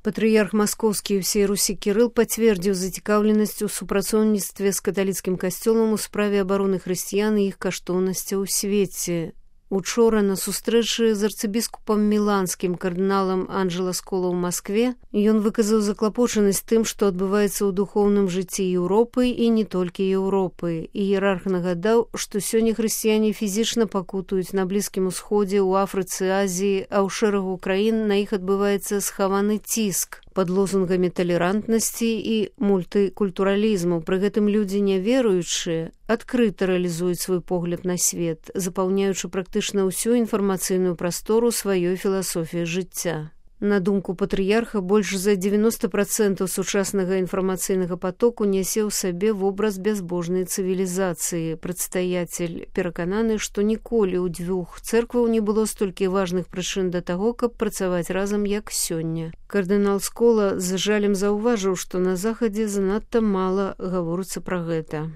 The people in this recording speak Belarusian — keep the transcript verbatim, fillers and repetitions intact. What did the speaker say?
Патрыярх маскоўскі і ўсей Русі Кірыл пацвердзіў зацікаўленасць у супрацоўніцтве з каталіцкім касцёлам у справе абароны хрысціян і іх каштоўнасцяў у свеце. Учора на сустрэчы з арцыбіскупам міланскім кардыналам Анджела Скола ў Маскве ён выказаў заклапочанасць тым, што адбываецца ў духоўным жыцці Еўропы і не толькі Еўропы. Іерарх нагадаў, што сёння хрысціяне фізічна пакутуюць на Блізкім Усходзе, у Афрыцы, Азіі, а ў шэрагу краін на іх адбываецца схаваны ціск пад лозунгамі талерантнасці і мультыкультуралізму. Пры гэтым людзі няверуючыя адкрыта рэалізуюць свой погляд на свет, запаўняючы практычна ўсю інфармацыйную прастору сваёй філасофіяй жыцця. На думку патрыярха, больш за дзевяноста працэнтаў сучаснага інфармацыйнага патоку нясе ў сабе вобраз бязбожнай цывілізацыі. Прадстаяцель перакананы, што ніколі ў дзвюх цэркваў не было столькі важных прычын да таго, каб працаваць разам, як сёння. Кардынал Скола з жалем заўважыў, што на Захадзе занадта мала гаворыцца пра гэта.